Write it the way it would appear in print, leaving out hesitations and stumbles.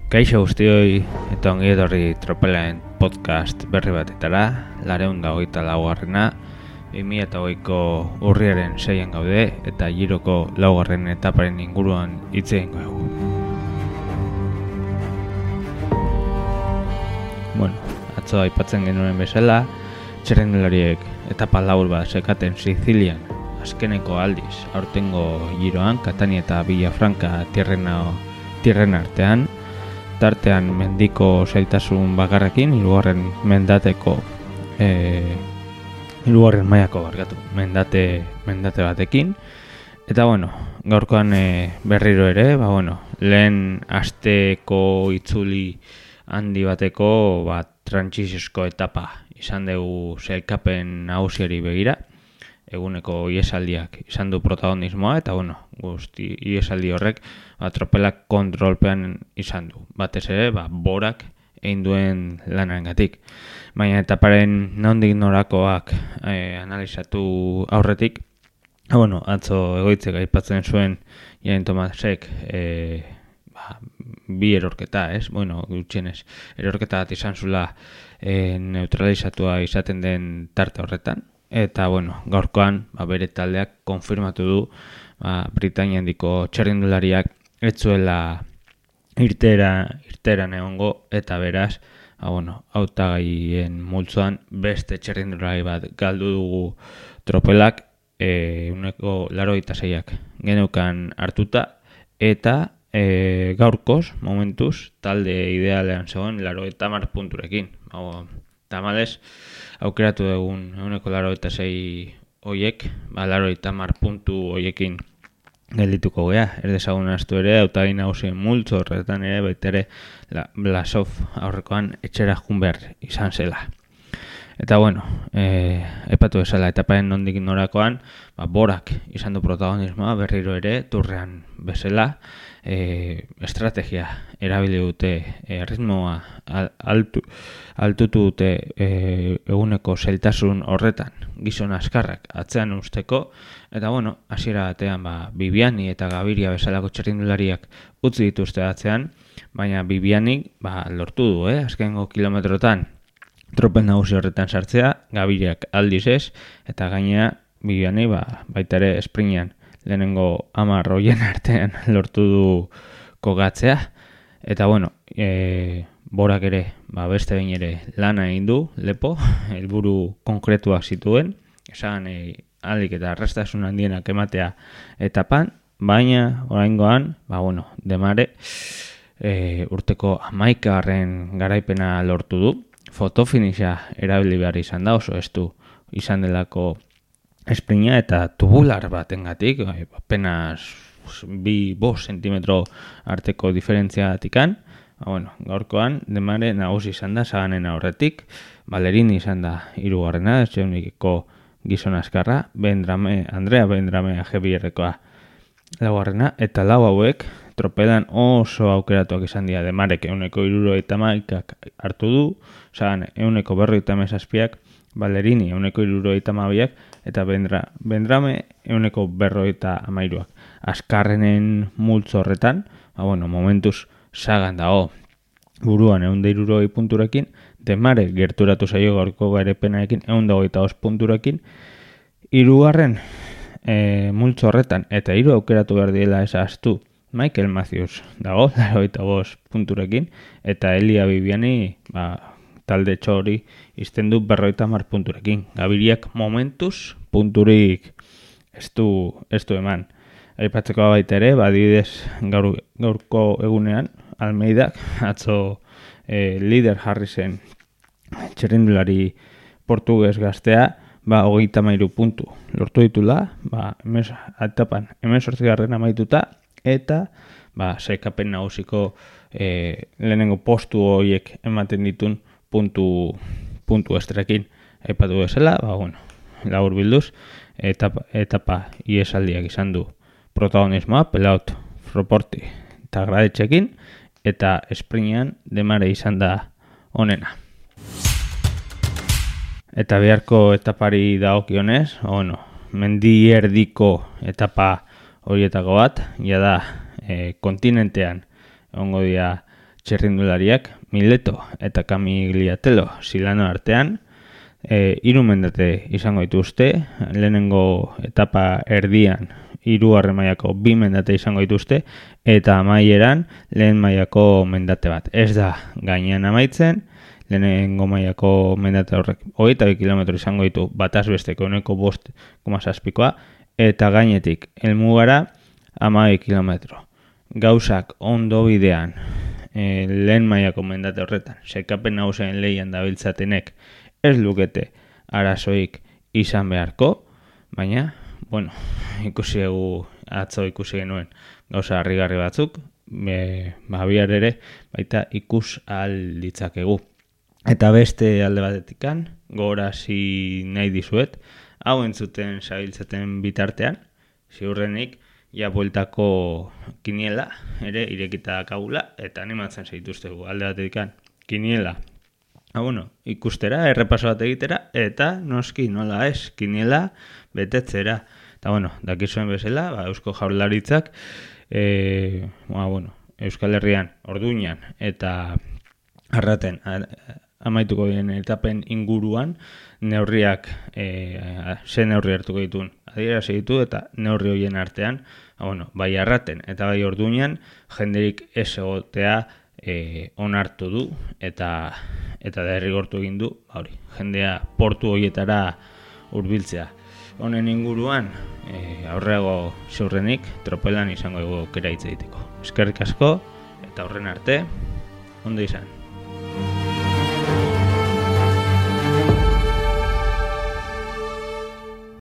Kaixo guztioi eta ongi etorri Tropelen podcast berri batetara, 224. 2008ko urriaren 6an gaude eta Giroko 4. etaparen inguruan hitz egingo dugu. Atzo aipatzen genuen bezala, txirrindulariek etapa labur bat sekaten Sizilian azkeneko aldiz aurtengo Giroan, Catania eta Villafranca tierren artean, tartean mendiko zailtasun bakarrekin, hirugarren mailako mendate batekin. Eta gaurkoan berriro ere, lehen asteko itzuli handi bateko trantsiziosko etapa izan dugu sailkapen nagusiari begira. Eguneko iesaldiak izan du protagonismoa eta guzti iesaldi horrek tropelak kontrolpean izan du. Batez ere, borak egin duen lanarengatik. Baina etaparen nondik norakoak analizatu aurretik, atzo egoitzek aipatzen zuen Geraint Thomasek bi erorketa, gutxienez, erorketa bat izan zula neutralizatua izaten den tarte horretan. Eta gaurkoan bere taldeak konfirmatu du Britainia handiko txirrindulariak ez zuela irteeran egongo eta beraz hautagaien multzoan beste txirrindulari bat galdu dugu tropelak 86ak geneukan hartuta eta gaurkoz, momentuz, talde idealean zegoen 90 punturekin. Tamalez, aukeratu dugun 86 hoiek, 90 puntu hoiekin geldituko gea. Erdezagun astu ere, hautagai nagusien multzo horretan ere, baita ere, Blasov aurrekoan etxera joan behar izan zela. Eta aipatu bezala, etaparen nondik norakoan, borak izan du protagonismoa, berriro ere, turrean bezala, estrategia erabili dute, ritmoa altutu dute eguneko zailtasun horretan, gizon askarrak atzean usteko, eta hasiera batean Bibiani eta Gaviria bezalako txirrindulariak utzi dituzte atzean, baina Bibianik lortu du, azkengo kilometrotan tropel nagusi horretan sartzea, Gaviriak aldiz ez, eta gainea Bibiani baita ere esprintean lehenengo 10 hoien artean lortu du kokatzea, eta borak ere, beste behin ere lana egin du, lepo, helburu konkretuak zituen, esan ahalik eta arrastasun handienak ematea etapan, baina oraingoan, Demare urteko 11. garaipena lortu du, fotofinisha erabili behar izan da, oso estu izan delako esprinta eta tubular batengatik, apenas 2-5 sentimetro arteko diferentziatikan. Gaurkoan Demare nagusi izan da Saganen aurretik, Ballerini izan da 3. etxeunikeko gizon askarra, Andrea Vendrame AG2-rekoa 4. eta lau hauek tropelan oso aukeratuak izan dira. Demarek 171ak hartu du, Sagan 157ak, Ballerini 172ak eta Vendrame 153ak. Askarrenen multzo horretan, momentuz Sagan dago buruan 160 punturekin, Demare gerturatu zaio gaurko garaipenarekin 125 punturekin, 3. multzo horretan eta 3 aukeratu behar diela esaztu Michael Matthews dago 95 punturekin eta Elia Bibiani talde txori izten du 50 punturekin. Gaviriak momentuz punturik ez du eman. Aipatzeko baita ere, adibidez gaurko egunean Almeidak atzo lider jarri zen txirrindulari portugues gaztea 33 puntu lortu ditula, etapan 18. amaituta eta sailkapen nagusiko lehenengo postu horiek ematen ditun puntu estrekin. Aipatu bezala, labur bilduz, etapa iesaldiak izan du protagonismoa, Pelaut, Froporti eta Gradetxekin, eta esprintean Demare izan da onena. Eta biharko etapari dagokionez, mendi erdiko etapa horietako bat, jada kontinentean egongo dira txerrindulariak Mileto eta Camigliatelo Silano artean 3 mendate izango dituzte, lehenengo etapa erdian 3. mailako 2 mendate izango dituzte, eta amaieran lehen mailako mendate bat. Ez da gainean amaitzen, lehenengo mailako mendate horrek 22 kilometro izango ditu bataz besteko 5,7koa, eta gainetik helmugara 12 kilometro. Gauzak ondo bidean, lehen mailako mendate horretan, sekapen nagusien lehian dabiltzatenek ez lukete arazoik izan beharko, baina, bueno, atzo ikusi genuen gauza harrigarri batzuk, bihar ere baita ikus ahal ditzakegu. Eta beste alde batetikan, gogorarazi nahi dizuet, hau entzuten zabiltzaten bitartean, ziurrenik, ja bueltako kiniela ere irekita dakagula, eta animatzen zaituztegu alde batetikan kiniela. Ikustera, errepaso bat egitera, eta noski nola ez, kiniela betetzera. Eta dakizuen bezala, Eusko Jaurlaritzak, Euskal Herrian, Orduñan eta Arraten amaituko diren etapen inguruan, neurriak, ze neurri hartuko dituen adierazi ditu, eta neurri horien artean, bai Arraten eta bai Orduñan, jenderik ez egotea onartu du, eta derrigortu egin du, jendea portu horietara hurbiltzea. Honen inguruan, aurreago ziurrenik, tropelan izango aukera hitz egiteko. Eskerrik asko, eta horren arte, ondo izan.